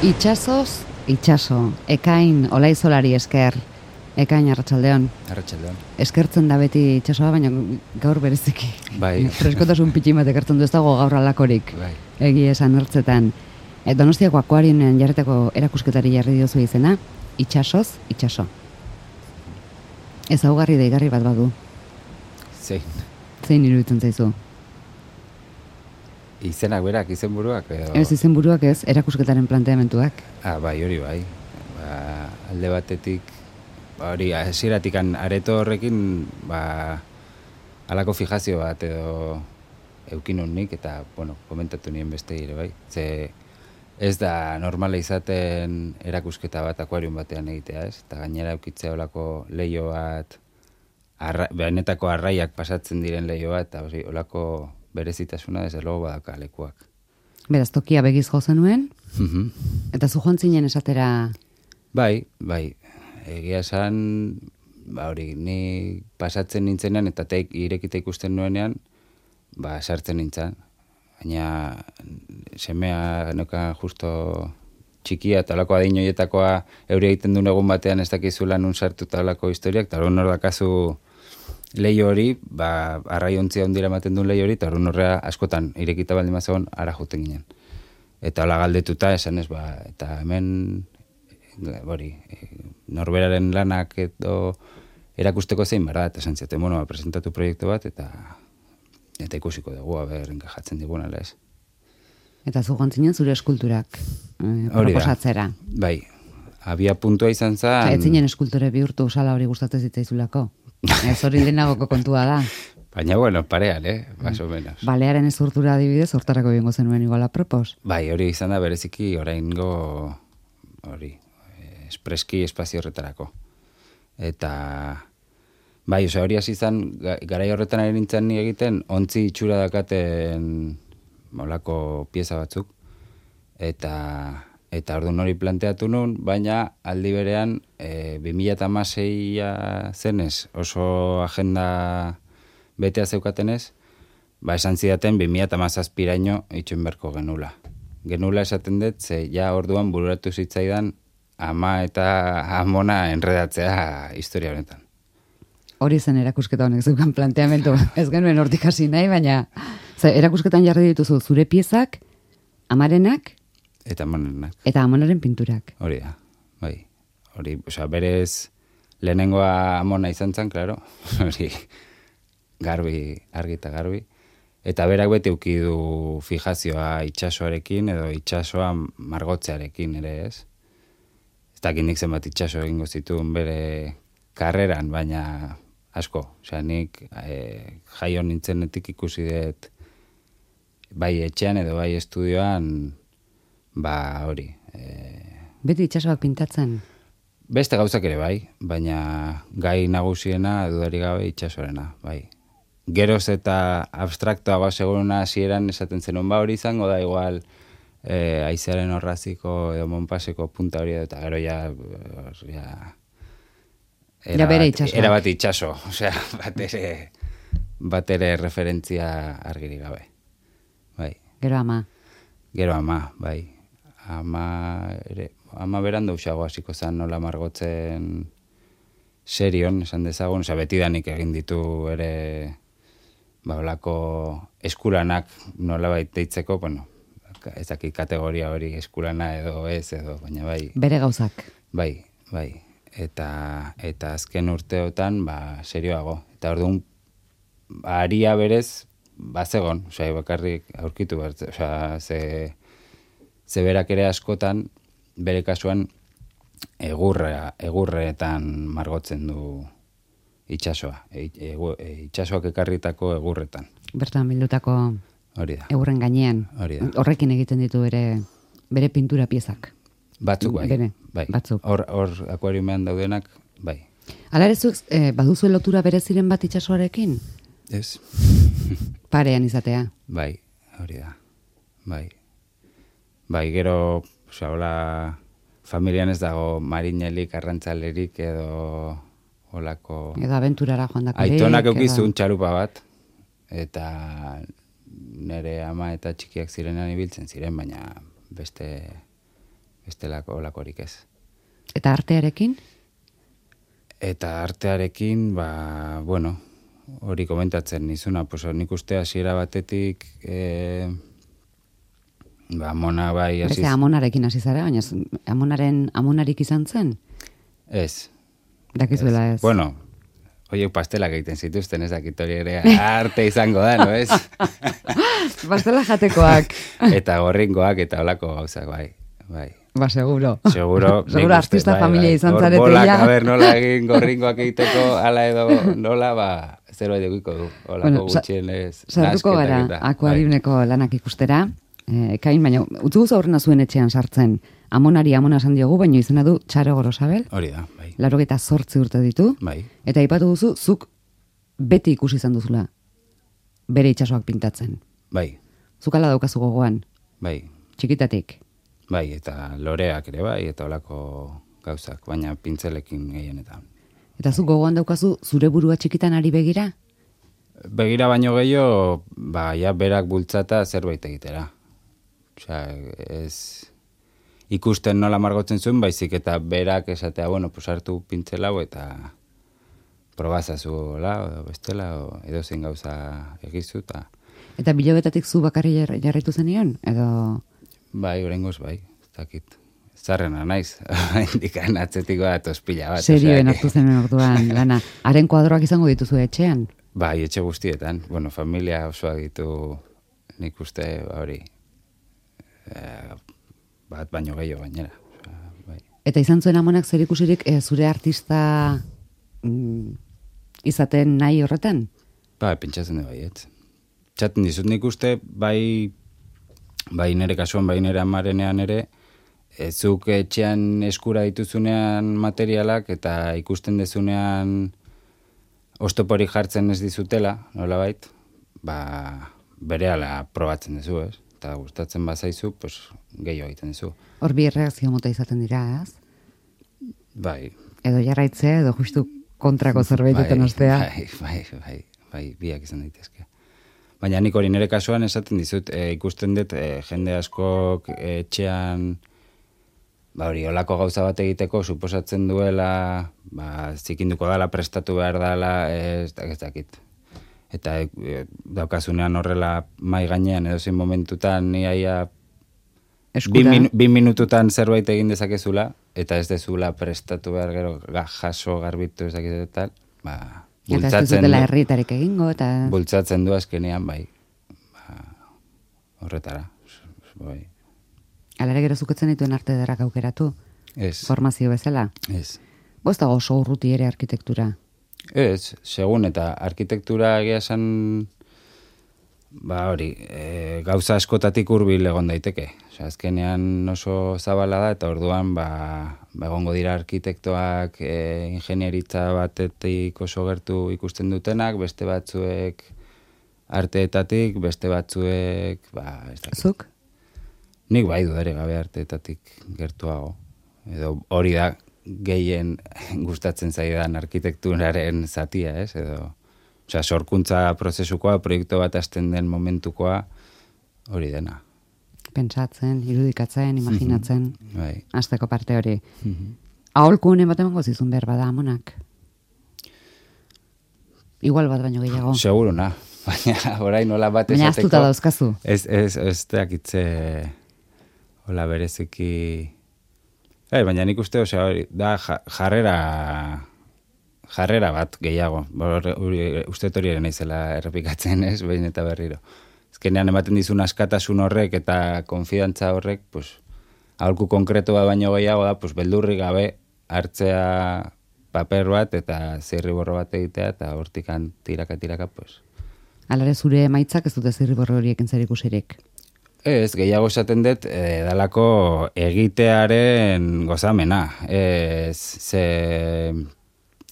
Itxasoz, itxaso, ekain olaizolari esker, ekain arratsaldeon. Arratsaldeon. Eskertzen da beti itxasoa, baina gaur bereziki. Bai. Freskotasun pitxin bat ekartzen du, ez dago gaur alakorik. Bai. Egia esan ertzetan. Donostiako akuarioen jarretako erakusketari jarri diozu izena, itxasoz, itxaso. Ezaugarri deigarri bat badu. Zein iruditzen zaizu? Izenak berak, izenburuak edo... Ez izenburuak ez, erakusketaren planteamentuak. Bai, hori bai. Alde batetik, hori, hasieratik areto horrekin, halako fijazio bat edo eukin nik, eta, bueno, komentatu nien beste ere bai. Ze ez da normala izaten erakusketa bat akuarium batean egitea, ez? Eta gainera eukitzea olako leio bat, benetako arraiak pasatzen diren leio bat, eta olako berezitasuna desde luego badaka lekuak. Beraz, tokia begiz jo zenuen, eta zu joan zinen esatera... Bai, egia esan, hori, ni pasatzen nintzenean, eta irekita ikusten nuenean, sartzen nintzen. Baina, semea noka justo txikia, eta olako adin horietakoa euri egiten duen egun batean ez dakizula nun sartu eta olako historiak, eta hori hor dakazu leio hori, arraiontzia ondira ematen duen leio hori, eta hori horrea askotan irekita baldin mazegon ara juten ginen. Eta hola galdetuta esan ez, eta hemen, hori, norberaren lanak edo erakusteko zein bara, eta esan ziaten, bueno, presentatu proiektu bat, eta ikusiko dugu, enkajatzen digun, ala ez. Eta zu gontzinen zure eskulturak proposatzera. Bai, abia puntua izan zen... Ez zinen eskultore bihurtu sala hori gustatzen zitzaizulako. Ez hori lehenagoko kontua da. Baina, bueno, parean, más o menos. Balearen ezurtura adibidez, hortarako bingo zenuen iguala propos. Bai, hori izan da bereziki oraingo hori, espreski espazio horretarako. Eta, bai, hori hasi izan, garai horretan ari nintzen ni egiten, ontzi itxura dakaten molako pieza batzuk. Eta orduan hori planteatu nun, baina aldi berean 2016a zenez oso agenda betea zeukatenez, esan zidaten 2017raino itxoin beharko genula. Genula esaten dut, ze ja orduan bururatu zitzaidan ama eta amona enredatzea historia honetan. Hori zen erakusketa honek zeukan planteamendu. Ez genuen hortik hasi nahi, baina erakusketan jarri dituzu zure piezak, amarenak, Eta amonenak. Eta amonaren pinturak. Hori da, bai. Hori, berez lehenengoa amona izan zen, klaro. Hori, garbi, argi eta garbi. Eta berak beti euki du fijazioa itxasoarekin edo itxasoa margotzearekin ere ez. Ez dakit nik zenbat itxaso egingo zituen bere karreran, baina asko. Osea, nik jaio nintzenetik ikusi dut bai etxean edo bai estudioan hori. Beti itxasoak pintatzen? Beste gauzak ere bai, baina gai nagusiena dudari gabe itxasorena, bai. Geroz eta abstraktoa seguruna hasieran esaten zenun hori izango da igual aizearen horraziko edo monpaseko punta hori eta gero ja bere itxasoak. Era bat itxaso, osea, bat ere referentzia argiri gabe. Bai. Gero ama. Gero ama, bai. Ama beran dauxago hasiko zen nola margotzen serion, esan dezagun, betidanik egin ditu ere olako eskulanak nola deitzeko, bueno, ezakit kategoria hori eskulana edo ez edo, baina bai. Bere gauzak. Bai. Eta azken urteotan, serioago. Eta orduan, aria berez, bazegon, bakarrik aurkitu behar, ze berak ere askotan, bere kasuan, egurretan margotzen du itxasoa. Itxasoak ekarritako egurretan. Bertan bildutako hori da. Egurren gainean. Hori da. Horrekin egiten ditu bere pintura piezak. Batzuk bai. Bai. Batzuk. Hor akuariumean daudenak, bai. Hala ere zuek baduzue lotura bereziren bat itxasoarekin? Ez. Parean izatea. Bai, hori da. Bai, gero, hola, familian ez dago marinelik, arrantzalerik edo olako... Edo abenturara joan dakorik. Aitonak eukizun txalupa bat, eta nire ama eta txikiak zirenan ibiltzen ziren, baina beste bestelako olakorik ez. Eta artearekin? Eta artearekin, bueno, hori komentatzen nizuna, pues nik uste hasiera batetik, amona bai hasiz. Amonarekin hasi zara, baina amonarik izan zen? Ez. Dakizuela ez. Bueno, oiek pastelak egiten zituzten, ez dakit hori ere arte izango da, no ez? Pastela jatekoak. Eta gorringoak eta holako gauzak, bai. Ba, seguro. Seguro artista familia izan zarete bolak, ja. a ber, nola egin gorringoak egiteko, ala edo nola, zerbait egiko du. Olako gutxien ez. Sartuko gara, akuariumeko lanak ikustera. Kain, baina, utzu aurrena zuen etxean sartzen. Amonari amona esan diogu, baina izena du Txaro Gorosabel. Hori da, bai. 88 urte ditu. Bai. Eta aipatu duzu, zuk beti ikusi izan duzula. Bere itsasoak pintatzen. Bai. Zuk ala daukazu gogoan. Bai. Txikitatik. Bai, eta loreak ere bai, eta olako gauzak, baina pintzelekin gehienetan. Eta zuk gogoan daukazu zure burua txikitan ari begira? Begira baino gehiago, ja berak bultzata zerbait egitera. Osea, ez ikusten nola margotzen zuen, baizik eta berak esatea, bueno, pues hartu pintzel hau eta probazazu edo bestela, edo zein gauza egizu. Eta bilobetatik zu bakarri jarraitu zenion? Edo... Bai, oraingoz bai, ez dakit. Zarrena naiz, indikan atzetiko da tospila bat. Serioen hartu zenen orduan, lana. Haren kuadroak izango dituzu etxean? Bai, etxe guztietan. Bueno, familia osoa ditu nik uste hori bat baino gehiago gainera. Bai. Eta izan zuen amonak zer ikusirik zure artista izaten nahi horretan? Bai, pentsatzen du baietz. Txaten dizut nik uste, bai nire kasuan, bai nire amarenean ere, zuk etxean eskura dituzunean materialak eta ikusten dezunean oztoporik jartzen ez dizutela, nolabait, berehala probatzen dezu, ez? Eta gustatzen bazaizu, pues, gehiago egiten dezu. Hor bi erreakzio mota izaten dira, ez? Bai. Edo jarraitzea, edo justu kontrako zerbaitetan ostea. Bai, biak izan daitezke. Baina nik hori nire kasuan esaten dizut, ikusten dut jende askok etxean hori olako gauza bat egiteko suposatzen duela, zikinduko dala, prestatu behar dala, ez dakit. Eta daukazunean horrela mai gainean edozein momentutan niaia 2 minututan zerbait egin dezakezula, eta ez dezula prestatu behar gero jaso garbitu ez dakit eta tal, eta ez duzutela herrietarik egingo, eta... Bultzatzen du azkenean, bai, horretara, bai. Alare gero zuketzen dituen arte derrak aukeratu? Ez. Formazio bezala? Ez. Boztago oso urruti ere arkitektura? Ez, segun, eta arkitektura egia esan, hori, gauza askotatik hurbil egon daiteke. Osea, azkenean oso zabala da, eta orduan, egongo dira arkitektoak ingenieritza batetik oso gertu ikusten dutenak, beste batzuek arteetatik, beste batzuek, ez dakit. Zuk? Nik bai dudare gabe arteetatik gertuago. Edo hori da gehien gustatzen zaidan arkitekturaren zatia, ez? Edo, osea, sorkuntza prozesukoa, proiektu bat hasten den momentukoa, hori dena. Pentsatzen, irudikatzen, imaginatzen, Bai. hasteko parte hori. Aholkunen bat emango zizun behar bada amonak? Igual bat baino gehiago. Seguruna, baina orain nola bat esateko... Baina aztuta dauzkazu. Ez dakitze hola bereziki... baina nik uste, osea, da jarrera bat gehiago. Uste hori ere naizela errepikatzen, ez, behin eta berriro. Ezkenean ematen dizun askatasun horrek eta konfidantza horrek, pues, aholku konkretu bat baino gehiago da, pues, beldurri gabe hartzea paper bat eta zirriborro bat egitea eta hortikan tiraka, pues. Alare zure emaitzak ez dute zirriborro horiekin zer ikusirik? Ez, gehiago esaten dut, dalako egitearen gozamena. Ze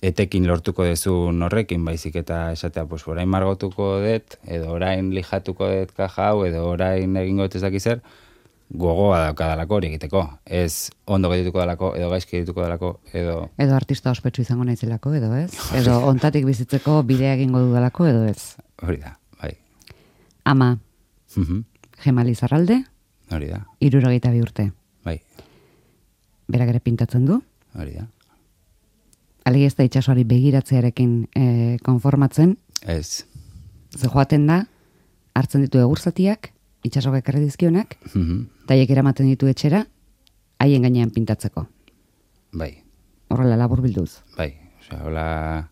etekin lortuko dezun horrekin, baizik eta esatea, pues, orain margotuko dut, edo orain lijatuko dut kaja hau, edo orain egingo dut ez dakizer, gogoa daukadalako hori egiteko. Ez ondo geldituko dalako, edo gaizki geldituko dalako, edo... Edo artista ospetsu izango naizelako, edo ez? Edo ontatik bizitzeko bidea egingo dudalako, edo ez? Hori da, bai. Ama, Gemali Zarralde, hori da. 62 urte. Bai. berak ere pintatzen du. Hori da. Alegi ez da itsasoari begiratzearekin konformatzen. Ez. Ze joaten da, hartzen ditu egurzatiak, itsasok ekarri dizkionak, Mhm. eta haiek eramaten ditu etxera, haien gainean pintatzeko. Bai, Horrela laburbilduz. bai. Osea, hola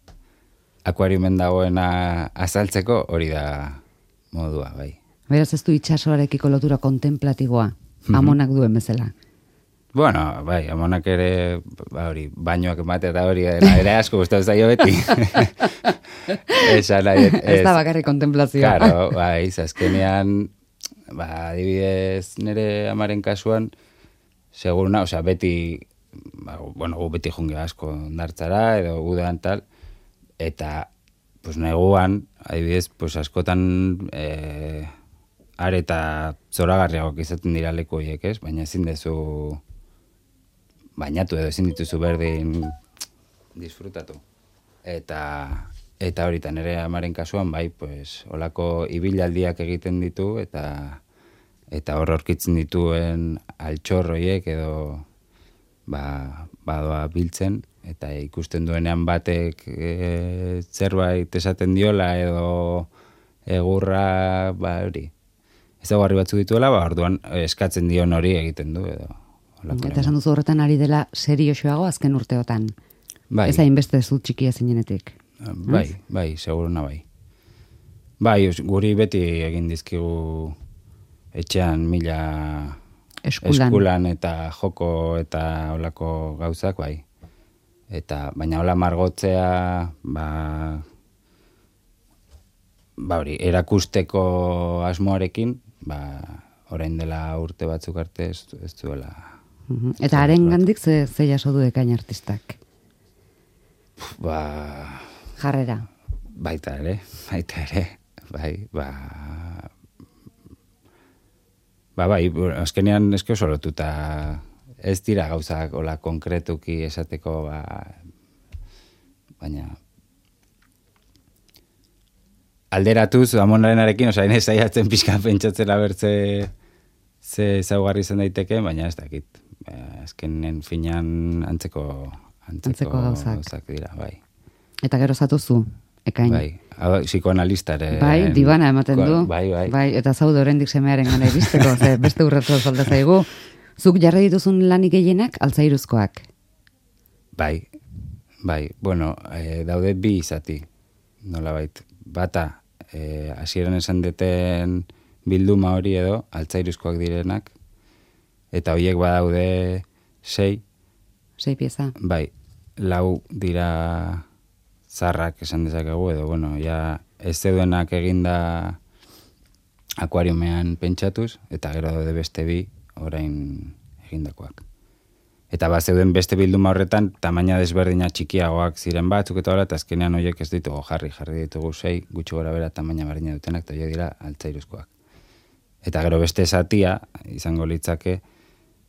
akuariumen dagoena azaltzeko hori da modua, bai. Beraz ez du itsasoarekiko lotura kontemplatiboa, amonak duen bezala. Bueno, bai, amonak ere, hori, bainoak emate eta hori, ere asko gustatu zaio beti. Esan nahi, Ez da bakarrik kontemplazioa. Claro, bai, azkenean, adibidez nire amaren kasuan, seguruna, osea, beti, gu beti junge asko ondartzara, edo udan tal, eta, pues, neguan, adibidez, pues, askotan, are eta zoragarriagoak izaten dira leku horiek, ez? Baina ezin dezu bainatu edo ezin dituzu berdin disfrutatu. Eta horitan ere amaren kasuan, bai, pues, olako ibilaldiak egiten ditu, eta hor aurkitzen dituen altxorroiek edo badoa biltzen, eta ikusten duenean batek zerbait esaten diola edo egurra, hori, ezagarri batzu dituela, orduan eskatzen dion hori egiten du edo. Eta esan duzu horretan ari dela seriosoago azken urteotan. Bai. Ez hainbeste zu txikia zinenetik. Bai, seguruna bai. Bai, guri beti egin dizkigu etxean mila eskulan eta joko eta olako gauzak, bai. Baina hola margotzea, hori, erakusteko asmoarekin, orain dela urte batzuk arte ez duela. Eta haren gandik ze jaso du ekain artistak? Jarrera. Baita ere, bai, azkenean eske oso lotuta ez dira gauzak hola konkretuki esateko, baina alderatuz amonarenarekin, osea, ez saiatzen pixka pentsatzen abertze ze ezaugarri izan daiteke, baina ez dakit. Azkenen finan antzeko gauzak dira, bai. Eta gero zatuzu, ekain. Bai, psikoanalistare. Bai, dibana ematen du. Bai. Eta zaude oraindik semearen gana iristeko, ze beste urratzu falta zaigu. Zuk jarri dituzun lanik gehienak altzairuzkoak. Bai, bueno, daude bi izati, nolabait. Bata, hasieran esan deten bilduma hori edo, altzairuzkoak direnak, eta horiek badaude 6. 6 pieza. Bai, 4 dira zarrak esan dezakegu, edo, bueno, ja ez zeudenak eginda akuariumean pentsatuz, eta gero daude beste 2 orain egindakoak. Eta zeuden beste bilduma horretan, tamaina desberdina txikiagoak ziren batzuk eta hola, eta azkenean horiek ez ditugu jarri ditugu 6, gutxi gora bera tamaina berdina dutenak, eta horiek dira altzairuzkoak. Eta gero beste zatia, izango litzake,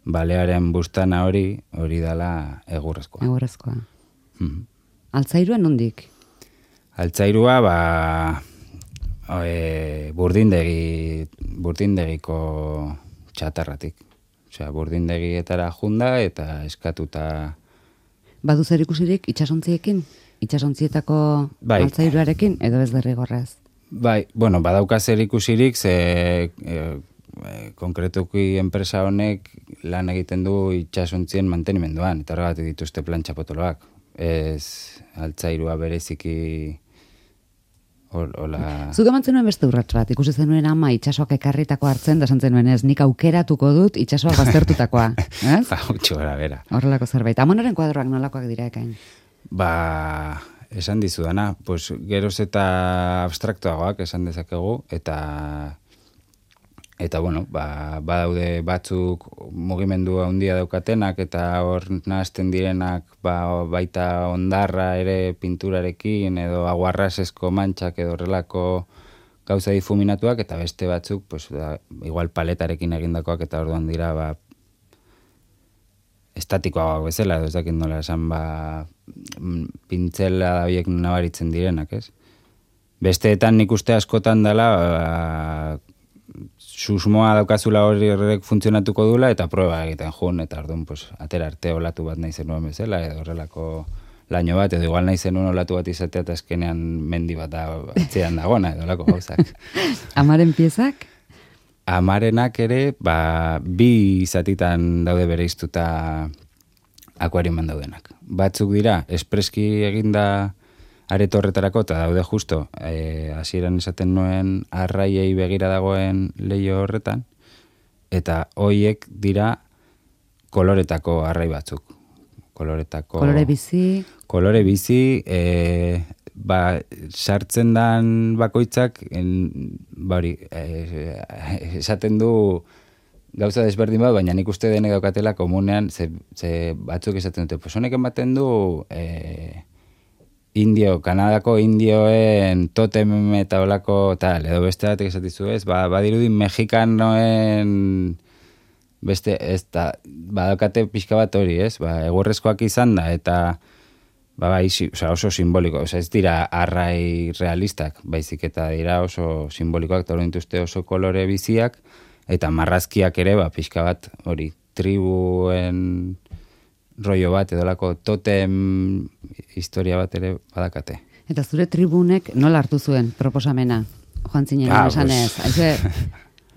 balearen bustana hori dela egurrezkoa. Egurrezkoa. Altzairua nondik? Altzairua, burdindegiko txatarratik. Osea, burdindegietara junda eta eskatuta. Badu zer ikusirik itxasontziekin? Itxasontzietako altzairuarekin, edo ez derrigorrez? Bai, bueno, badauka zer ikusirik, ze konkretuki enpresa honek lan egiten du itxasontzien mantenimenduan, eta horregatik dituzte plantxa potoloak. Ez altzairua bereziki hola. Zuk eman zenuen beste urrats bat, ikusi zenuen ama itxasoak ekarritako hartzen, da esan zenuen ez, nik aukeratuko dut itxasoak baztertutakoa. Gutxi gara bera. Horrelako zerbait. Amonaren kuadroak nolakoak dira ekain? Esan dizudana, pues geroz eta abstraktuagoak esan dezakegu, eta bueno, badaude batzuk mugimendu handia daukatenak, eta hor nahazten direnak baita ondarra ere pinturarekin, edo aguarrasesko mantxak edo horrelako gauza difuminatuak, eta beste batzuk, pues, igual paletarekin egindakoak, eta orduan dira estatikoagoak bezala, edo ez dakit nola esan pintzela horiek nabaritzen direnak, ez? Besteetan nik uste askotan dela susmoa daukazula horrek funtzionatuko dula, eta proba egiten jun, eta orduan, pues, atera arte olatu bat nahi zenuen bezala, edo horrelako laino bat, edo igual nahi zenuen olatu bat izatea, eta azkenean mendi bat atzean dagona, edo olako gauzak. Amaren piezak? Amarenak ere, bi zatitan daude bereiztuta akuariuman daudenak. Batzuk dira, espreski eginda areto horretarako, eta daude justo, hasieran esaten nuen arraiei begira dagoen leio horretan, eta hoiek dira koloretako arrai batzuk. Kolore bizi. Kolore bizi, sartzen dan bakoitzak, esaten du gauza desberdin bat, baina nik uste denek daukatela komunean, ze batzuk esaten dute, pues honek ematen du Kanadako indioen totem eta olako tal, edo beste batek esatizu ez, badirudin mexikanoen beste, ez da, badakate pixka bat hori, ez, egurrezkoak izan da, eta oso simboliko, ez dira arrai realistak, baizik eta dira oso simbolikoak, eta hori dituzte oso kolore biziak, eta marrazkiak ere, pixka bat, hori, tribuen rollo bat, edolako totem historia bat ere badakate. Eta zure tribunek nola hartu zuen proposamena? Joan zinen, esanez.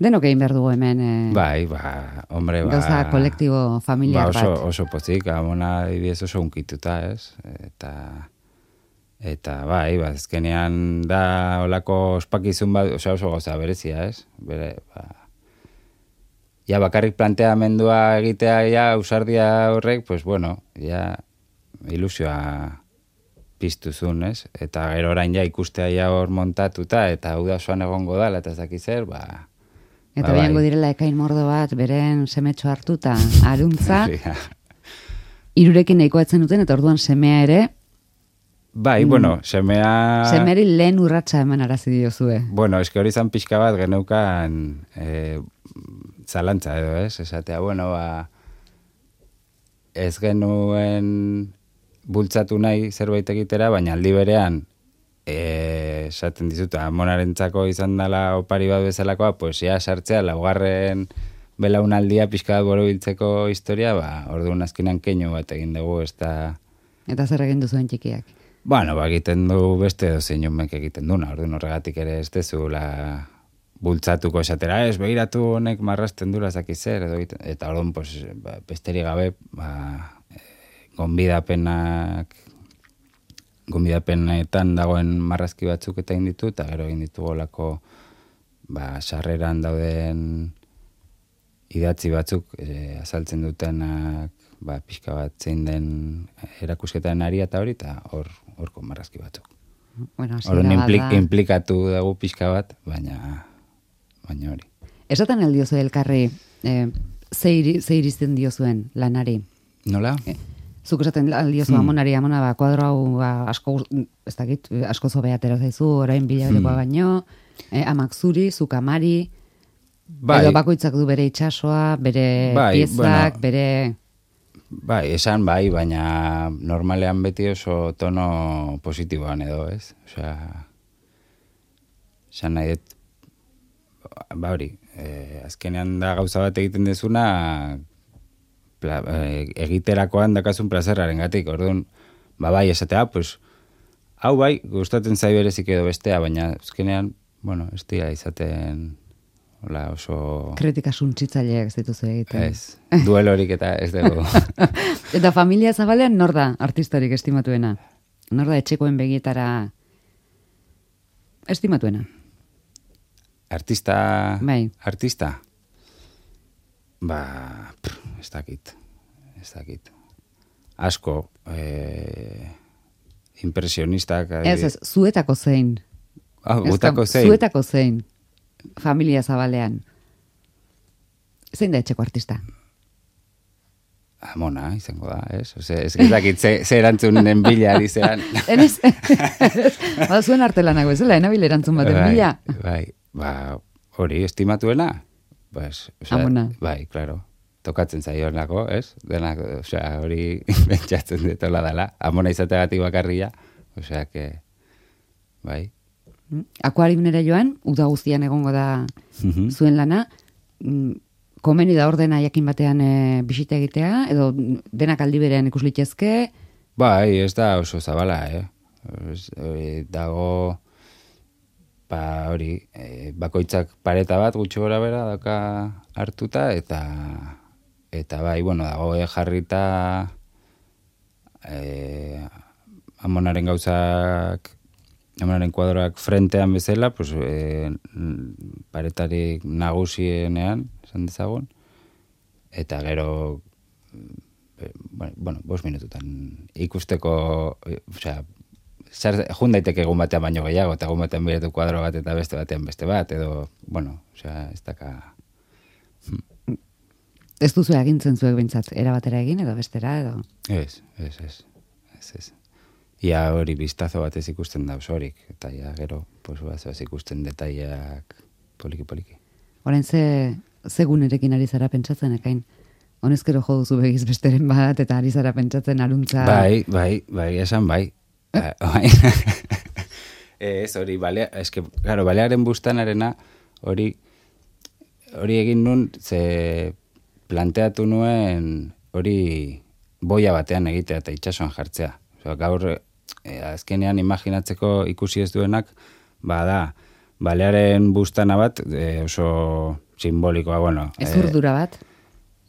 Denok egin behar dugu hemen. Hombre, gauza kolektibo familiar bat. Oso pozik, amona idiez oso unkituta, ez? Eta ezkenean da olako ospakizun bat, oso gauza berezia, ez? Ja, bakarrik planteamendua egitea, ja, ausardia horrek, pues bueno, ja, ilusioa piztuzun, ez? Eta gero orain ja ikustea ja hor montatuta, eta hau da osoan egongo dala, eta ez dakiz zer, Eta behango direla ekain mordo bat, beren semetxo hartuta, aruntza, irurekin nahiko etzen duten, eta orduan semea ere, semea... Semeari lehen urratsa eman arazi diozue. Bueno, eski hori zan pixka bat geneukan zalantza edo, ez? Esatea, ez genuen bultzatu nahi zerbait egitera, baina aldi berean, esaten dizut, amonarentzako izan dela opari bat bezalakoa, pues ja sartzea, laugarren belaunaldia pixka bat borobiltzeko historia, orduan azkenean keinu bat egin dugu, ez da... Eta zer egin duzuen txikiak? Egiten du beste dozein umek egiten duna, orduan horregatik ere ez dezula bultzatuko esatera, ez begiratu honek marrasten dura zaki zer, eta orduan besteri gabe gonbidapenetan dagoen marrazki batzuk eta egin ditu, eta gero egin ditu golako sarreran dauden idatzi batzuk azaltzen dutenak pixka bat zein den erakusketaren ari eta hori, eta horko marrazki batzuk. Implikatu dugu pixka bat, baina hori. Esaten aldiozu elkarri, ze irizten diozuen lanari? Nola? Zuk esaten aldiozu amona, kuadro hau asko, ez dakit, asko zobea atera zaizu, orain bilabetekoa baino, amak zuri, zuk amari, edo bakoitzak du bere itxasoa, bere piezak, bere... Esan baina normalean beti oso tono positiboan edo, ez? Esan nahi dut, azkenean da gauza bat egiten dezuna, egiterakoan dakazun plazerraren gatik, orduan, esatea, pues, hau gustatzen zai berezik edo bestea, baina azkenean, ez dira izaten... oso... Kritika suntsitzaileak ez dituzu egiten. Ez, duelorik eta ez dugu. Eta familia zabalean nor da artistarik estimatuena? Nor da etxekoen begietara estimatuena? Artista? Bai. Artista? Ez dakit. Asko, impresionistak... Ez, zuetako zein. Gutako zein? Zuetako zein. Familia zabalean. Zein da etxeko artista? Amona, izango da, ez? Ez dakit, ze erantzunen bila dizean. Enez? Zuen artelanak bezala, enabil erantzun baten bila. Hori, estimatuena? Amona. Bai, klaro. Tokatzen zaionako, ez? Denak, hori bentsatzen detola dela. Amona izategatik bakarria. Bai. Akuariumera joan, uda guztian egongo da zuen lana, komeni da ordena jakin batean bisita egitea, edo denak aldi berean ikus litezke? Bai, ez da oso zabala, dago, hori, bakoitzak pareta bat gutxi gora bera daka hartuta, eta bai, bueno, dago jarrita amonaren gauzak, amonaren kuadroak frentean bezala, pues, paretarik nagusienean, esan dezagun, eta gero, bueno, 5 minututan ikusteko, osea, jun daiteke egun batean baino gehiago, eta egun batean biretu kuadro bat eta beste batean beste bat, edo, bueno, osea, ez daka... Ez duzu egintzen zuek bintzat, erabatera egin, edo bestera, edo... Ez. Ia hori biztazo batez ikusten da osorik, eta ja gero, pues, bazoaz ikusten detaileak poliki-poliki. Orain ze gunerekin ari zara pentsatzen, ekain? Honezkero jo duzu begiz besteren bat, eta ari zara pentsatzen aruntza... Bai, esan bai. Ez hori, claro, balearen bustanarena hori egin nun, ze planteatu nuen hori boia batean egitea eta itsasoan jartzea. Osea, gaur azkenean imaginatzeko ikusi ez duenak, da, balearen bustana bat oso simbolikoa, bueno. Ez urdura bat?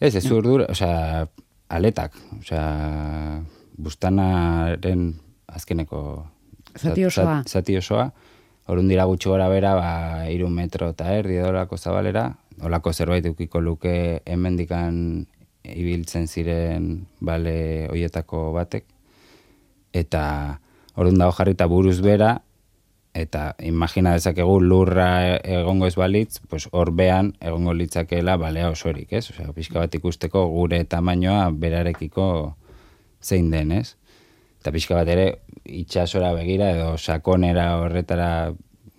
Ez urdura, osea, aletak, osea, bustanaren azkeneko zati osoa. Zati osoa. Orrun dira gutxi gora bera, 3 metro eta erdi edolako zabalera, olako zerbait eukiko luke hemendikan ibiltzen ziren bale hoietako batek, eta orrun dago jarrita buruz bera, eta imagina dezakegu lurra egongo ez balitz, pues horbean egongo litzakeela balea osorik, ez? Osea, pixka bat ikusteko gure tamainoa berarekiko zein den, ez? Eta pixka bat ere itsasora begira edo sakonera horretara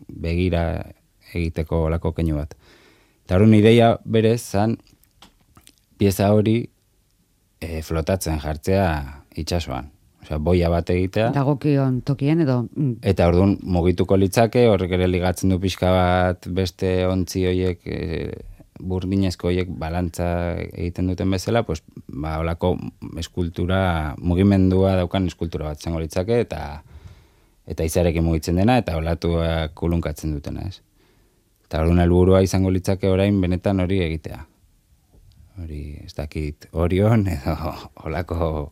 begira egiteko olako keinu bat. Eta horren ideia berez zan pieza hori flotatzen jartzea itsasoan. Osea, boia bat egitea. Dagokion tokien edo... Eta orduan mugituko litzake, horrek ere ligatzen du pixka bat beste ontzi hoiek, burdinezko hoiek balantza egiten duten bezala, pues, olako eskultura, mugimendua daukan eskultura bat zengo litzake, eta izarekin mugitzen dena, eta olatuak kulunkatzen dutena, ez? Eta orduan helburua izango litzake orain benetan hori egitea. Hori, ez dakit, Orion edo olako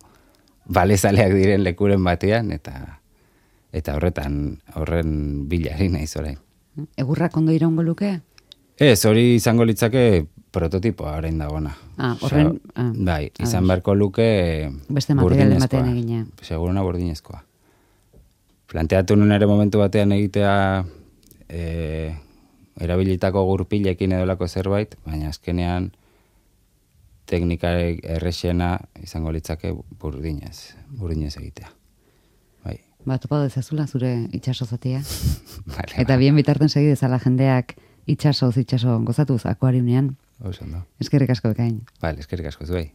balezaleak diren lekuren batean, eta horren bilari naiz orain. Egurrak ondo iraungo luke? Ez, hori izango litzake prototipoa orain dagona. Horren... Bai, izan beharko luke beste materialen batean egina. Seguruna burdinezkoa. Planteatu nun ere momentu batean egitea erabilitako gurpilekin edolako zerbait, baina azkenean teknikarek errexena izango litzake burdinez egitea. Bai. Topa dezazula zure itxaso zatia. Vale, eta bien bitarten segi dezala jendeak itxaso gozatuz akuariunean. Oso, no. Eskerrik asko bekain. Eskerrik asko zuei.